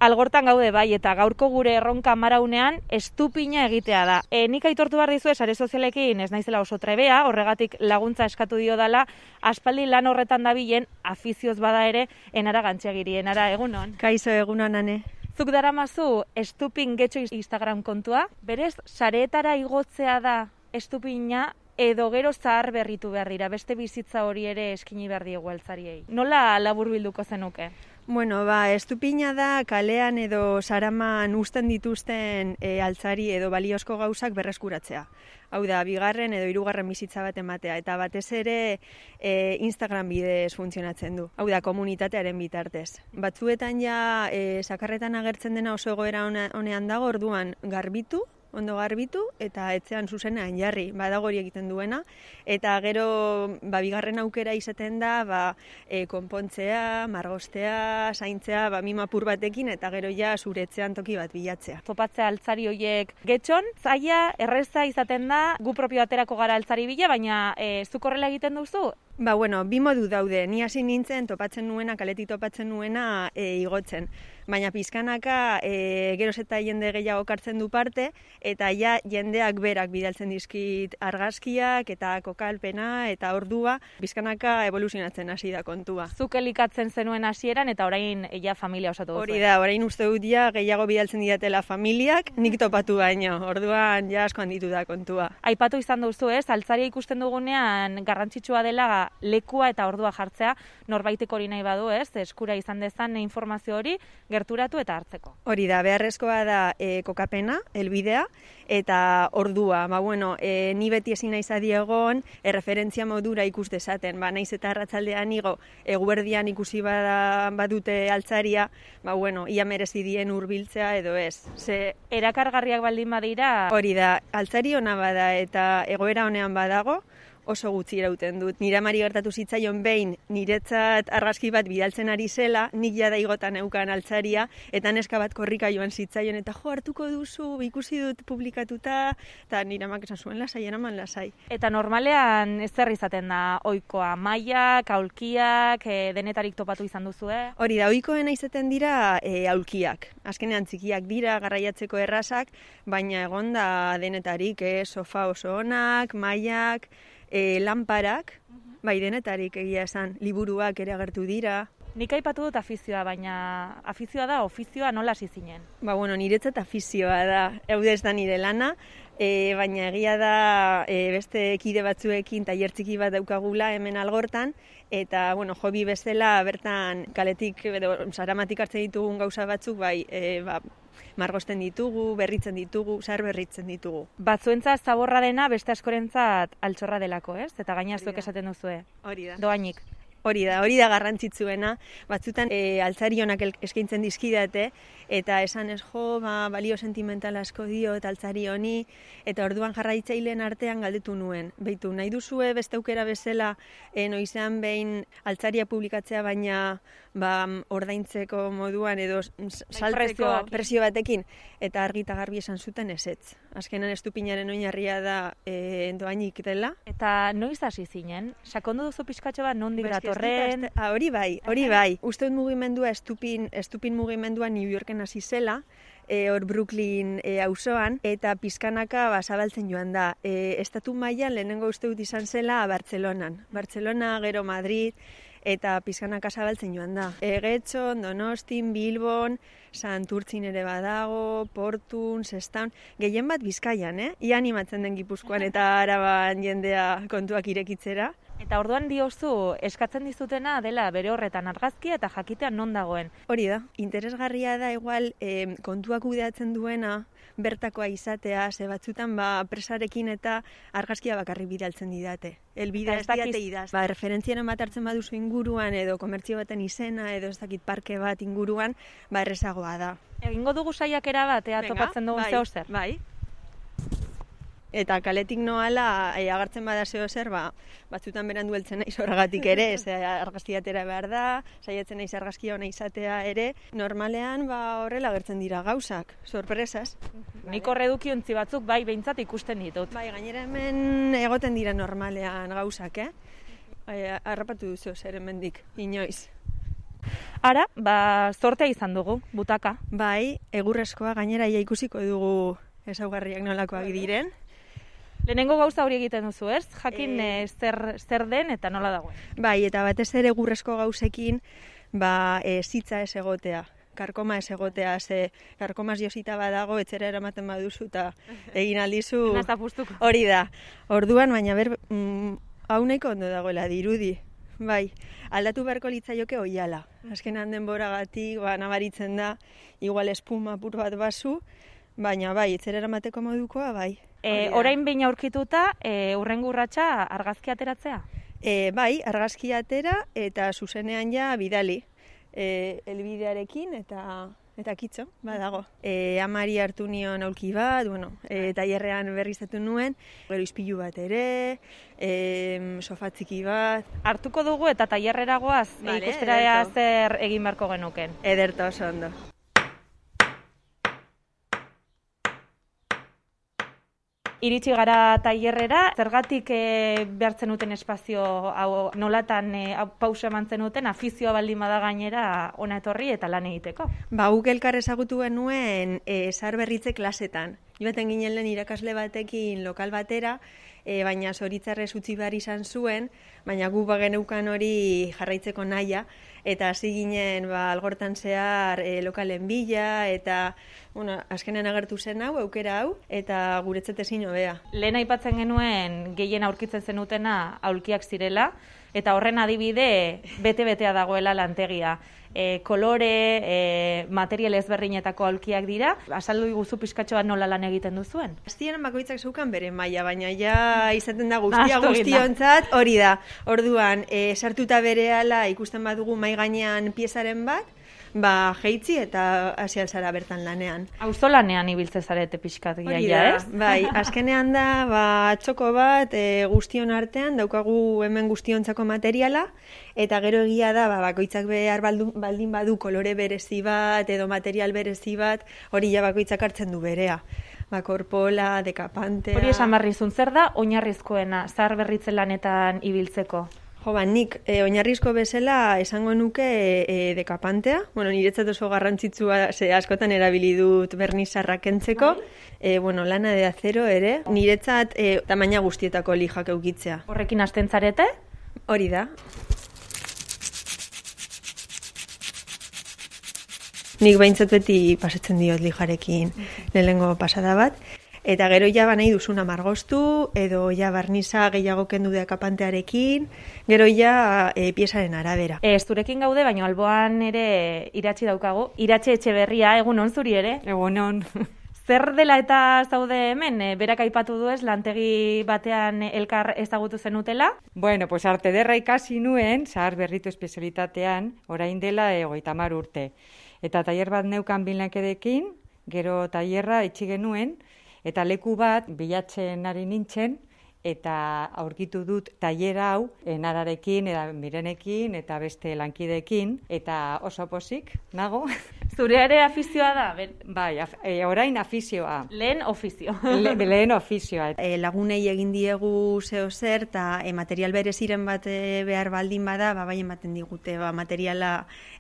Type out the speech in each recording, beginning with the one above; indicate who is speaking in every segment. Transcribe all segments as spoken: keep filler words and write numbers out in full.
Speaker 1: Algortan gaude bai, eta gaurko gure erronka maraunean estupina egitea da. E, nik aitortu behar dizue, sare sozialekin ez naizela oso trebea, horregatik laguntza eskatu dio dala, aspaldi lan horretan dabilen, afizioz bada ere, enara gantxegiri, enara egunon.
Speaker 2: Kaixo egunon, ane.
Speaker 1: Zuk daramazu estupin getxo Instagram kontua, berez, sareetara igotzea da estupina, edo gero zahar berritu behar dira, beste bizitza hori ere eskini behar diegu altzariei. Nola laburbilduko zenuke?
Speaker 2: Bueno, ba, estupina da kalean edo saraman uzten dituzten e, altzari edo baliozko gauzak berreskuratzea. Hau da, bigarren edo hirugarren bizitza bat ematea, eta batez ere e, Instagram bidez funtzionatzen du. Hau da, komunitatearen bitartez. Batzuetan ja e, sakarretan agertzen dena oso egoera honean dago, orduan garbitu, ondo garbitu, eta etzean zuzenean jarri, badago hori egiten duena, eta gero ba, bigarren aukera izaten da ba, e, konpontzea, margostea, zaintzea, ba, mimapur batekin, eta gero ja zure etzean toki bat bilatzea.
Speaker 1: Topatzea altzari horiek getxon, zaila, erreza izaten da, gu propio aterako gara altzari bila, baina e, zuk horrela egiten duzu?
Speaker 2: Ba, bueno, bi modu daude, ni hasi nintzen topatzen nuena, kaletik topatzen nuena e, igotzen. Baina pizkanaka e, geroz eta jende gehiago kartzen du parte, eta ja jendeak berak bidaltzen dizkit argazkiak eta kokalpena eta ordua, pizkanaka evoluzionatzen hasi da kontua.
Speaker 1: Zuk elikatzen zenuen hasieran eta orain ja familia osatu duzu.
Speaker 2: Hori da, orain uste dut ja gehiago bidaltzen didatela familiak, nik topatu baino, orduan ja asko handitu da kontua.
Speaker 1: Aipatu izan duzu ez, altzaria ikusten dugunean garrantzitsua dela lekua eta ordua jartzea, norbaitek hori nahi badu ez, eskura izan dezan informazio hori, gerturatu eta hartzeko.
Speaker 2: Hori da, beharrezkoa da e, kokapena, helbidea, eta ordua. Ba, bueno, e, ni beti ezin naiz adi egon, erreferentzia modura ikus dezaten. Ba, naiz eta arratsaldean igo, eguerdian ikusi bada, badute altzaria, ba, bueno, ia merezi dien hurbiltzea edo ez. Ze
Speaker 1: erakargarriak baldin badira.
Speaker 2: Hori da, altzari ona bada eta egoera honean badago, oso gutxi irauten dut. Nire amari gertatu zitzaion behin niretzat argazki bat bidaltzen ari zela, nik jada igotan eukan altzaria, eta neska bat korrika joan zitzaion, eta jo, hartuko duzu, ikusi dut publikatuta, eta nire amak esan zuen lasai, eraman lasai.
Speaker 1: Eta normalean ez zer izaten da ohikoa, mailak, aulkiak, e, denetarik topatu izan duzu, eh?
Speaker 2: Hori da, ohikoena izaten dira e, aulkiak. Azkenean txikiak dira, garraiatzeko errazak, baina egon da denetarik, eh, sofa oso onak, mailak, E, lanparak, bai denetarik egia esan, liburuak ere agertu dira.
Speaker 1: Nik aipatu dut afizioa, baina afizioa da, ofizioa nola hasi zinen?
Speaker 2: Ba, bueno, niretzat afizioa da, eude ez da nire lana, e, baina egia da e, beste kide batzuekin tailer txiki bat daukagula hemen Algortan, eta, bueno, hobi bezala bertan kaletik, edo saramatik hartzen ditugun gauza batzuk, bai, e, ba, margosten ditugu, berritzen ditugu, zahar berritzen ditugu.
Speaker 1: Batzuentzat zaborra dena, beste askorentzat altxorra delako, ez? Eta gaina zuek esaten duzue.
Speaker 2: Hori da.
Speaker 1: Doainik.
Speaker 2: Hori da, hori da garrantzitsuena. Batzutan e, altzari honak eskaintzen dizkidate, eta esan ez jo, ba, balio sentimental asko dio eta altzari honi, eta orduan jarraitzaileen artean galdetu nuen. Beitu, nahi duzue beste aukera bezala e, noizean behin altzaria publikatzea, baina ba, ordaintzeko moduan edo saltzeko presio batekin, eta argi eta garbi esan zuten ezetz. Azkenan estupinaren oinarria da e, doainik dela.
Speaker 1: Eta noiz hasi zinen? Sakondu duzu pixkatxo bat nondik datorren?
Speaker 2: Ah, hori bai, hori bai. Uste dut mugimendua, estupin, estupin mugimendua New Yorken hasi zela, e, hor Brooklyn e, auzoan, eta pizkanaka ba, zabaltzen joan da. E, estatu mailan lehenengo uste dut izan zela Bartzelonan. Bartzelona, gero Madrid, eta pizkanaka zabaltzen joan da. Egetxon, Donostin, Bilbon, Santurtzin ere badago, Portun, Sestaun, gehien bat Bizkaian, eh? Ia animatzen den Gipuzkoan eta Araban jendea kontuak irekitzera.
Speaker 1: Eta orduan diozu, eskatzen dizutena dela bere horretan argazkia eta jakitean non dagoen.
Speaker 2: Hori da, interesgarria da igual e, kontuak kudeatzen duena, bertakoa izatea, ze batzutan ba, presarekin eta argazkia bakarrik bidaltzen didate. Elbide ez diate idaz. Ba, referentziaren bat hartzen baduzu inguruan edo komertzio baten izena edo ez dakit parke bat inguruan, ba errezagoa da.
Speaker 1: Egingo dugu saiakera bat, ea topatzen dugun
Speaker 2: bai,
Speaker 1: zeo zer.
Speaker 2: Bai. Eta kaletik noala e, agartzen bada zeo zer, ba, batzutan berandu heltzen naiz horregatik ere, ze argazki atera behar da, saiatzen naiz argazkia ona izatea ere, normalean ba, horrela agertzen dira gauzak, sorpresas.
Speaker 1: Nik horre edukiontzi batzuk bai behintzat ikusten ditut.
Speaker 2: Bai, gainera hemen egoten dira normalean gauzak, eh? Bai, harrapatu duzu zer hemendik, inoiz.
Speaker 1: Ara, ba, zortea izan dugu, butaka.
Speaker 2: Bai, egurrezkoa gainera ia ikusiko dugu ezaugarriak nolakoak diren.
Speaker 1: Lehenengo gauza hori egiten duzu, ez? Jakin e... zer, zer den eta nola dagoen.
Speaker 2: Bai, eta batez ere egurrezko gauzekin, ba, e, zitza ez egotea. Karkoma ez egotea, ze karkomaz josita badago, etxera eramaten baduzu eta egin aldizu hori da. Orduan, baina ber, mm, hau nahiko ondo dagoela dirudi. Bai, aldatu beharko litzaioke oiala. Azkenan denboragatik, ba, nabaritzen da, igual espuma apur bat bazu, baina bai, etxera eramateko modukoa, bai.
Speaker 1: E, orain behin aurkituta, e, urrengo urratsa argazki ateratzea?
Speaker 2: E, bai, argazki atera eta zuzenean ja bidali. E, elbidearekin eta eta kitxo, badago. E, amari hartu nion aulki bat, bueno, e, tailerrean berriztatu nuen, gero ispilu bat ere, e, sofa txiki bat.
Speaker 1: Hartuko dugu eta tailerrera goaz, vale, ikustera ea zer egin beharko genuken.
Speaker 2: Ederto, oso ondo.
Speaker 1: Iritsi gara tailerrera, zergatik e, behartzen duten espazio hau nolatan e, pausa eman zenuten, afizioa baldin bada gainera ona etorri eta lan egiteko.
Speaker 2: Ba, guk elkar ezagutu genuen e, zaharberritze klasetan. Joaten ginen lehen irakasle batekin lokal batera, e, baina zoritzarrez utzi behar izan zuen, baina gu bageneukan hori jarraitzeko nahia, eta hasi ginen ba, algortan zehar e, lokalen bila, eta bueno, azkenean agertu zen hau, aukera hau, eta guretzat ezin hobea.
Speaker 1: Lehen aipatzen genuen gehien aurkitzen zenutena aulkiak zirela, eta horren adibide bete-betea dagoela lantegia. E, kolore, e, material ezberdinetako aulkiak dira. Azaldu iguzu pizkatxo bat nola lan egiten duzuen?
Speaker 2: Hasieran bakoitzak zeukan bere maila, baina ja izaten da guztia guztiontzat hori da. Orduan, e, sartuta berehala ikusten badugu mai gainean piezaren bat, ba, jeitzi eta hasi alzara bertan lanean.
Speaker 1: Auzolanean ibiltze zarete pixkat giaia, ez?
Speaker 2: Bai, azkenean da, ba, txoko bat e, guztion artean, daukagu hemen guztiontzako materiala, eta gero egia da, ba, bakoitzak behar baldin badu kolore berezi bat, edo material berezi bat, hori ja bakoitzak hartzen du berea. Ba, korpola, dekapantea...
Speaker 1: Hori esan barrizun, zer da oinarrizkoena zaharberritze lanetan ibiltzeko?
Speaker 2: Jo, ba, nik e, oinarrizko bezala esango nuke e, dekapantea. Bueno, niretzat oso garrantzitsua, ze askotan erabili dut bernizarra kentzeko. E, bueno, lana de acero ere. Niretzat e, tamaina guztietako lijak eukitzea.
Speaker 1: Horrekin hasten zarete?
Speaker 2: Hori da. Nik behintzat beti pasatzen diot lijarekin lehenengo pasada bat. Eta gero ja ba nahi duzuna margostu, edo ja barniza gehiago kendu dekapantearekin, gero ja e, piezaren arabera.
Speaker 1: Ez zurekin gaude, baina alboan ere Iratxi daukagu. Iratxe Etxeberria, egun on zuri ere?
Speaker 3: Egun on.
Speaker 1: Zer dela eta zaude hemen? E, berak aipatu du ez, lantegi batean elkar ezagutu zenutela?
Speaker 3: Bueno, pues arte derra ikasi nuen, zahar berritu espezialitatean, orain dela hogeita hamar urte. Eta tailer bat neukan bilankedekin, gero tailerra itxi genuen, eta leku bat bilatzen ari nintzen, eta aurkitu dut tailera hau enararekin, eta mirenekin, eta beste lankideekin, eta oso pozik, nago.
Speaker 1: Zure ere afizioa da? Ben...
Speaker 3: Bai, af, e, orain afizioa.
Speaker 1: Lehen ofizio.
Speaker 3: Le, lehen ofizioa.
Speaker 2: E, lagunei egin diegu zeo zer, eta e, material bereziren bat e, behar baldin bada, ba, bai ematen digute, ba, materiala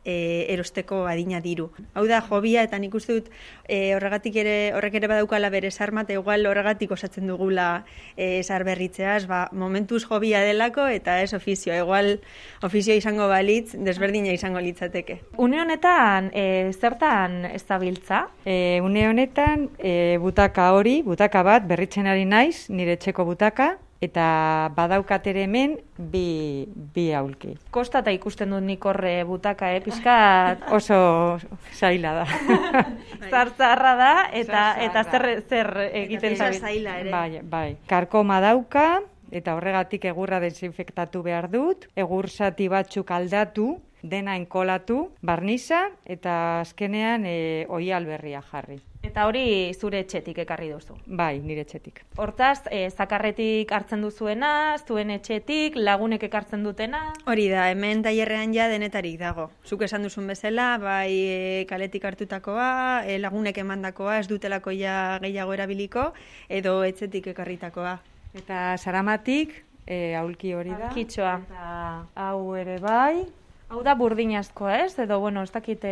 Speaker 2: e, erosteko adina diru. Hau da, hobia, eta nik uste dut e, horregatik ere, horrek ere badaukala bere sarmat, igual horregatik osatzen dugula e, sarberritzeaz, ba, momentuz hobia delako, eta ez ofizioa. Igual ofizioa izango balitz, desberdina izango litzateke.
Speaker 1: Une honetan, e, zertan ez zabiltza?
Speaker 3: E, une honetan, e, butaka hori, butaka bat, berritzen ari naiz, nire etxeko butaka, eta badaukatere hemen bi, bi aulki.
Speaker 1: Kostata ikusten dut nik horre butaka, eh? Piskat
Speaker 3: oso zaila da.
Speaker 1: Zartzarra da, eta, eta zer, zer egiten
Speaker 2: zaila ere.
Speaker 3: Bai, bai. Karkoma dauka, eta horregatik egurra desinfektatu behar dut, egur zati batzuk aldatu, dena enkolatu, barniza, eta azkenean e, oial berria jarri.
Speaker 1: Eta hori zure etxetik ekarri duzu?
Speaker 3: Bai, nire etxetik.
Speaker 1: Hortaz, e, zakarretik hartzen duzuena, zuen etxetik, lagunek ekartzen dutena?
Speaker 2: Hori da, hemen tailerrean ja denetarik dago. Zuk esan duzun bezala, bai e, kaletik hartutakoa, e, lagunek emandakoa, ez dutelako ja gehiago erabiliko, edo etxetik ekarritakoa.
Speaker 3: Eta saramatik, e, aulki hori da.
Speaker 1: Kitxoa.
Speaker 3: Eta hau ere bai.
Speaker 1: Hau da burdinazkoa, ez? Edo, bueno, ez dakite...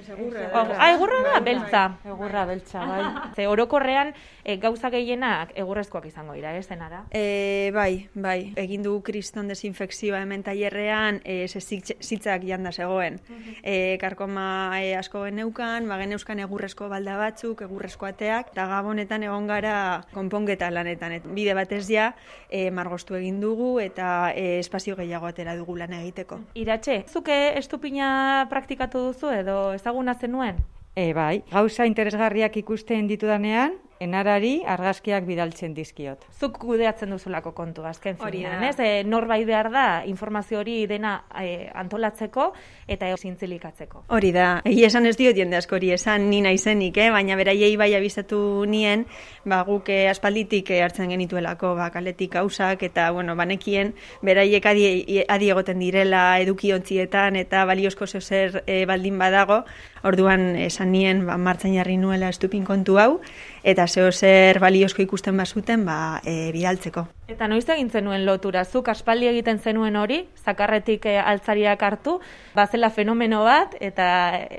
Speaker 2: Egurra
Speaker 1: da. Ah, egurra da, beltza.
Speaker 3: Egurra beltza, bai.
Speaker 1: Ze orokorrean e, gauza gehienak egurrezkoak izango dira, ez zenara?
Speaker 2: E, bai, bai. Egin du kriston desinfekzioa hemen tailerrean, e, ze zitzak janda zegoen. E, karkoma e, asko geneukan, ba, geneuzkan egurrezko balda batzuk, egurrezko ateak, eta gabonetan egon gara konponketa lanetan. Et, bide batez ja, e, margostu egin dugu eta e, espazio gehiago atera dugu lan egiteko.
Speaker 1: Iratxe, zuke estupina praktikatu duzu edo ezaguna zenuen?
Speaker 3: E, bai, gauza interesgarriak ikusten ditudanean, enarari argazkiak bidaltzen dizkiot.
Speaker 1: Zuk kudeatzen duzulako kontu, azken
Speaker 2: Hori
Speaker 1: finean,
Speaker 2: da.
Speaker 1: ez? E, norbait behar da informazio hori dena e, antolatzeko eta zintzilikatzeko.
Speaker 2: Hori da, egia esan ez diot jende askori esan ni naizenik, eh? Baina beraiei bai abizatu nien, ba, guk eh, aspalditik eh, hartzen genituelako ba, kaletik gauzak eta bueno, banekien beraiek adi, adi egoten direla edukiontzietan eta baliozko zer eh, baldin badago, orduan esan nien ba, martxan jarri nuela estupin kontu hau, eta zeo zer baliozko ikusten bazuten ba, e, bidaltzeko.
Speaker 1: Eta noiz egin zenuen lotura, zuk aspaldi egiten zenuen hori, zakarretik e, altzariak hartu, bazela fenomeno bat eta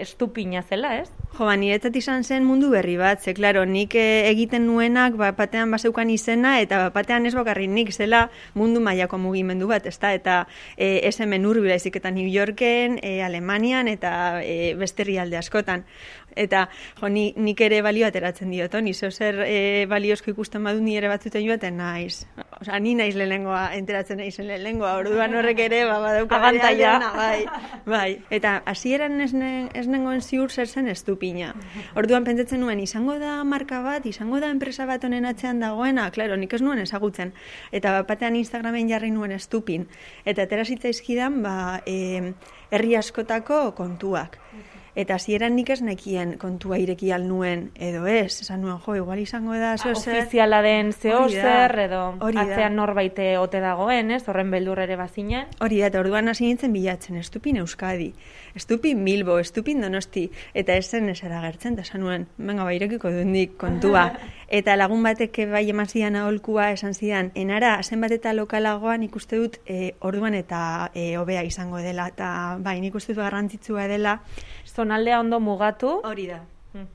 Speaker 1: estupina zela, ez?
Speaker 2: Jo, ba, niretzat izan zen mundu berri bat, ze, klaro, nik e, egiten nuenak ba, batean bazeukan izena, eta batean ez bakarrik nik zela mundu mailako mugimendu bat, ezta? Eta e, ez hemen urbila izik eta New Yorken, e, Alemanian eta e, beste herrialde askotan. Eta jo, ni, nik ere balio ateratzen diot, ni zeo zer e, baliozko ikusten badu ni ere batzuten joaten naiz. Osea, ni naiz lehenengoa, enteratzen naizen lehenengoa, orduan horrek ere ba, badauka
Speaker 1: abantaila.
Speaker 2: Bai, bai. Eta hasieran ez, ne, ez nengoen ziur zer zen estupina. Orduan pentsatzen nuen, izango da marka bat, izango da enpresa bat honen atzean dagoena, klaro, nik ez nuen ezagutzen. Eta batean Instagramen jarri nuen estupin. Eta atera zitzaizkidan, ba, e, herri askotako kontuak. Eta hasieran nik ez nekien kontua ireki al nuen edo ez, esan nuen, jo, igual izango da zeo zer.
Speaker 1: Ofiziala den zeo zer edo
Speaker 2: Hori da.
Speaker 1: atzean norbaite ote dagoen, ez? Horren beldur ere bazinen.
Speaker 2: Hori da, eta orduan hasi nintzen bilatzen, estupin Euskadi, estupin Bilbo, estupin Donosti, eta ez zen esera gertzen, eta esan nuen, venga, ba, irekiko dundik kontua. Eta lagun batek bai eman zidan aholkua esan zidan, enara, zenbat eta lokalagoan ikuste dut e, orduan eta e, hobea izango dela, eta bai, nik uste dut garrantzitsua dela.
Speaker 1: Zonaldea ondo mugatu.
Speaker 2: Hori da.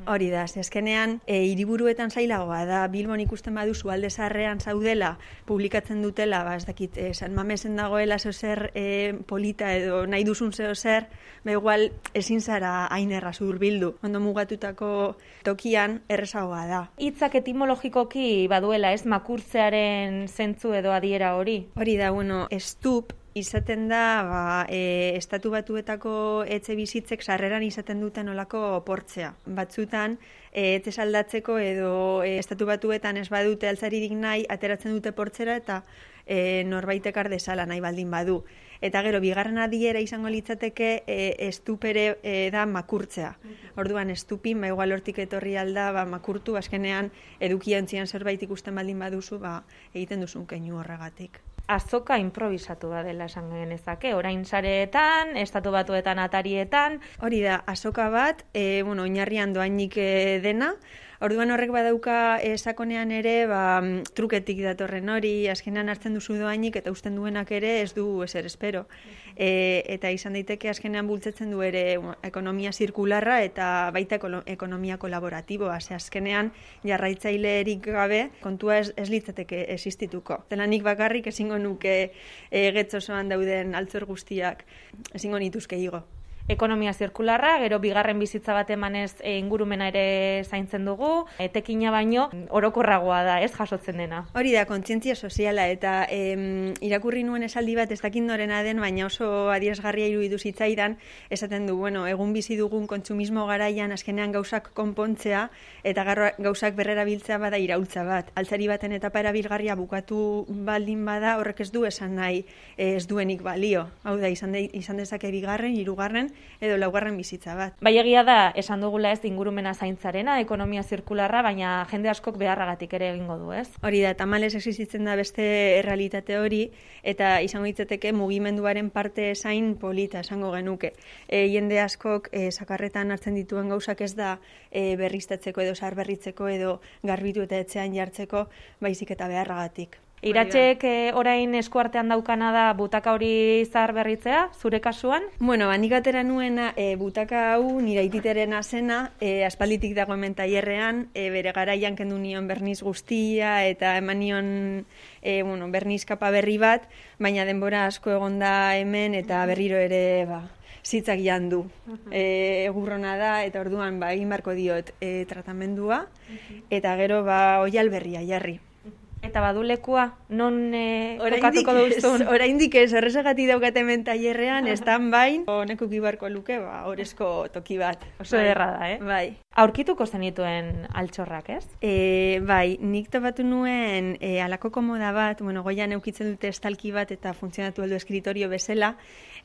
Speaker 2: Hori da, ze azkenean e, hiriburuetan zailagoa da, Bilbon ikusten baduzu alde zaharrean zaudela, publikatzen dutela, ba, ez dakit, e, San Mamesen dagoela zeo zer e, polita edo nahi duzun zeo zer, ba igual ezin zara hain erraz hurbildu. Ondo mugatutako tokian errezagoa da.
Speaker 1: Hitzak etimologikoki baduela, ez, makurtzearen zentzu edo adiera hori.
Speaker 2: Hori da, bueno, estup, izaten da, ba, e, estatu batuetako etxe bizitzek sarreran izaten duten olako portzea. Batzutan, e, etxe saldatzeko edo e, estatu batuetan ez badute altzaririk nahi, ateratzen dute portzera eta e, norbaitek ardezala nahi baldin badu. Eta gero, bigarren adiera izango litzateke e, estupere e, da makurtzea. Orduan, estupin, ba, igual hortik etorri alda, ba, makurtu, azkenean edukiontzian zerbait ikusten baldin baduzu, ba, egiten duzun keinu horregatik.
Speaker 1: Azoka improvisatu da dela esan genezake, orain sareetan, estatu batuetan atarietan.
Speaker 2: Hori da, azoka bat, e, bueno, oinarrian doainik e, dena, orduan horrek badauka e, sakonean ere, ba, truketik datorren hori, azkenean hartzen duzu doainik eta usten duenak ere ez du ezer espero. E, eta izan daiteke azkenean bultzetzen du ere bueno, ekonomia zirkularra eta baita ekonomia kolaboratiboa, ze azkenean jarraitzailerik gabe kontua ez, ez litzateke existituko. Zela nik bakarrik ezingo nuke e, getz osoan dauden altzor guztiak, ezingo nituzke igo.
Speaker 1: Ekonomia zirkularra, gero bigarren bizitza bat emanez e, ingurumena ere zaintzen dugu, etekina baino orokorragoa da, ez jasotzen dena.
Speaker 2: Hori da, kontzientzia soziala eta em, irakurri nuen esaldi bat ez dakit norena den, baina oso adierazgarria iruditu zitzaidan, esaten du, bueno, egun bizi dugun kontsumismo garaian azkenean gauzak konpontzea eta gauzak berrerabiltzea bada iraultza bat. Altzari baten etapa erabilgarria bukatu baldin bada, horrek ez du esan nahi ez duenik balio. Hau da, izan, de, izan dezake bigarren, hirugarren edo laugarren bizitza bat.
Speaker 1: Bai, egia da, esan dugula ez ingurumena zaintzarena, ekonomia zirkularra, baina jende askok beharragatik ere egingo du, ez?
Speaker 2: Hori da, tamalez existitzen da beste errealitate hori, eta izango ditzateke mugimenduaren parte zain polita esango genuke. E, jende askok e, sakarretan hartzen dituen gauzak ez da e, berriztatzeko edo zaharberritzeko edo garbitu eta etxean jartzeko, baizik eta beharragatik.
Speaker 1: Iratxek eh, orain eskuartean daukana da butaka hori zahar berritzea, zure kasuan?
Speaker 2: Bueno, ba, nik atera nuena e, butaka hau nire aititerena zena, e, aspalditik dago hemen tailerrean, e, bere garaian kendu nion berniz guztia eta eman nion e, bueno, berniz kapa berri bat, baina denbora asko egonda hemen eta berriro ere ba, zitzak jandu. E, egurrona da eta orduan ba, egin barko diot e, tratamendua eta gero ba, oial berria jarri.
Speaker 1: Eta badu lekua, non e, kokatuko duzun?
Speaker 2: Oraindik ez, horrezagati daukate hemen tailerrean, estan bain, honeko kibarko luke, ba, orezko toki bat.
Speaker 1: Oso ederra da, eh?
Speaker 2: Bai.
Speaker 1: Aurkituko zenituen altxorrak, ez?
Speaker 2: E, bai, nik topatu nuen e, alako komoda bat, bueno, goian eukitzen dute estalki bat eta funtzionatu aldo eskritorio bezala,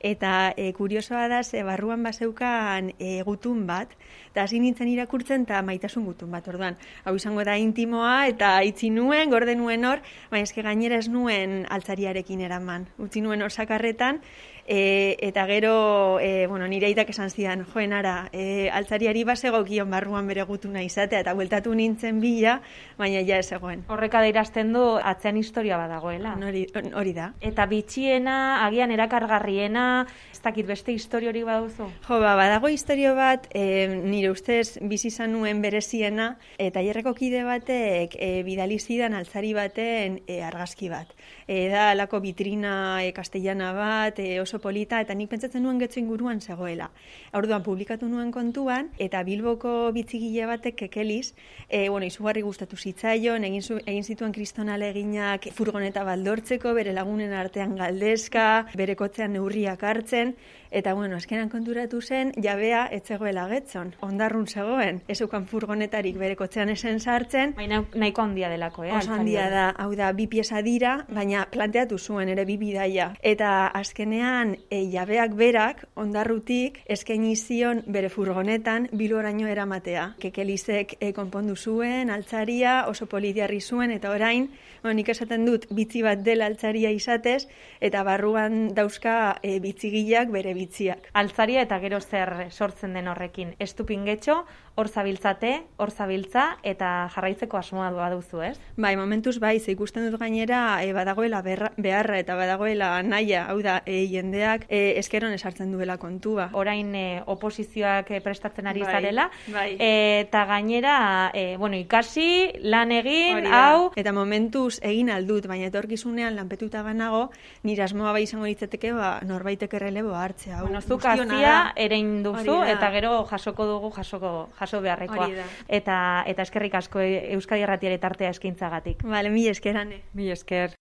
Speaker 2: eta e, kuriosoa da, ze barruan bazeukan e, gutun bat, eta hasi nintzen irakurtzen eta maitasun gutun bat, orduan. Hau izango da intimoa eta itzi nuen, gorde nuen hor, baina eske gainera ez nuen altzariarekin eraman. Utzi nuen hor sakarretan, e, eta gero, e, bueno, nire aitak esan zidan, joen ara, e, altzariari basegokion barruan bere gutuna izatea, eta bueltatu nintzen bila, baina ja ez egoen.
Speaker 1: Horrek adierazten du atzean historia badagoela.
Speaker 2: Hori, hori da.
Speaker 1: Eta bitxiena, agian erakargarriena, ez dakit beste historiorik baduzu?
Speaker 2: Jo, ba, badago historio bat, e, nire ustez bizi izan nuen bereziena, eta tailerreko kide batek e, bidali zidan altzari baten e, argazki bat. E, da alako vitrina e, castellana bat, e, oso polita, eta nik pentsatzen nuen getxo inguruan zegoela. Orduan publikatu nuen kontuan, eta Bilboko bitzigile batek kekeliz, e, bueno, izugarri gustatu zitzaion, egin, zu, egin zituen kristonale eginak furgoneta baldortzeko, bere lagunen artean galdezka, bere kotzean neurriak hartzen, eta bueno, azkenan konturatu zen, jabea etzegoela getzon. Ondarrun zegoen, ez eukan furgonetarik bere kotzean esen sartzen.
Speaker 1: Baina nahiko handia delako, eh?
Speaker 2: Oso handia da, hau da, bi pieza dira, baina planteatu zuen ere bi bidaia. Eta azkenean, e, jabeak berak, ondarrutik, eskaini zion bere furgonetan Bilboraino eramatea. Kekelizek e, konpondu zuen, altzaria, oso polidiarri zuen, eta orain, bueno, nik esaten dut, bitzi bat dela altzaria izatez, eta barruan dauzka e, bitzigileak bere bitziak.
Speaker 1: Altzaria eta gero zer sortzen den horrekin. Estupingetxo, hor zabiltzate, hor zabiltza, eta jarraitzeko asmoa baduzu, ez?
Speaker 2: Bai, momentuz bai, ze ikusten dut gainera e, badagoela berra, beharra eta badagoela naia, hau da, e, jendeak e, eskeron esartzen duela kontua.
Speaker 1: Orain e, oposizioak e, prestatzen ari
Speaker 2: bai,
Speaker 1: zarela,
Speaker 2: bai.
Speaker 1: E, eta gainera, e, bueno, ikasi, lan egin, hau...
Speaker 2: Eta momentuz egin aldut, baina etorkizunean lanpetuta banago, nire asmoa bai izango litzateke, ba, norbaitek errelebo hartzea.
Speaker 1: Bueno, zuk azia erein duzu, eta gero jasoko dugu, jasoko jaso beharrekoa. Eta, eta eskerrik asko Euskadi Irratiaren tartea eskintzagatik.
Speaker 2: Vale, mi eskerane.
Speaker 3: Mi esker.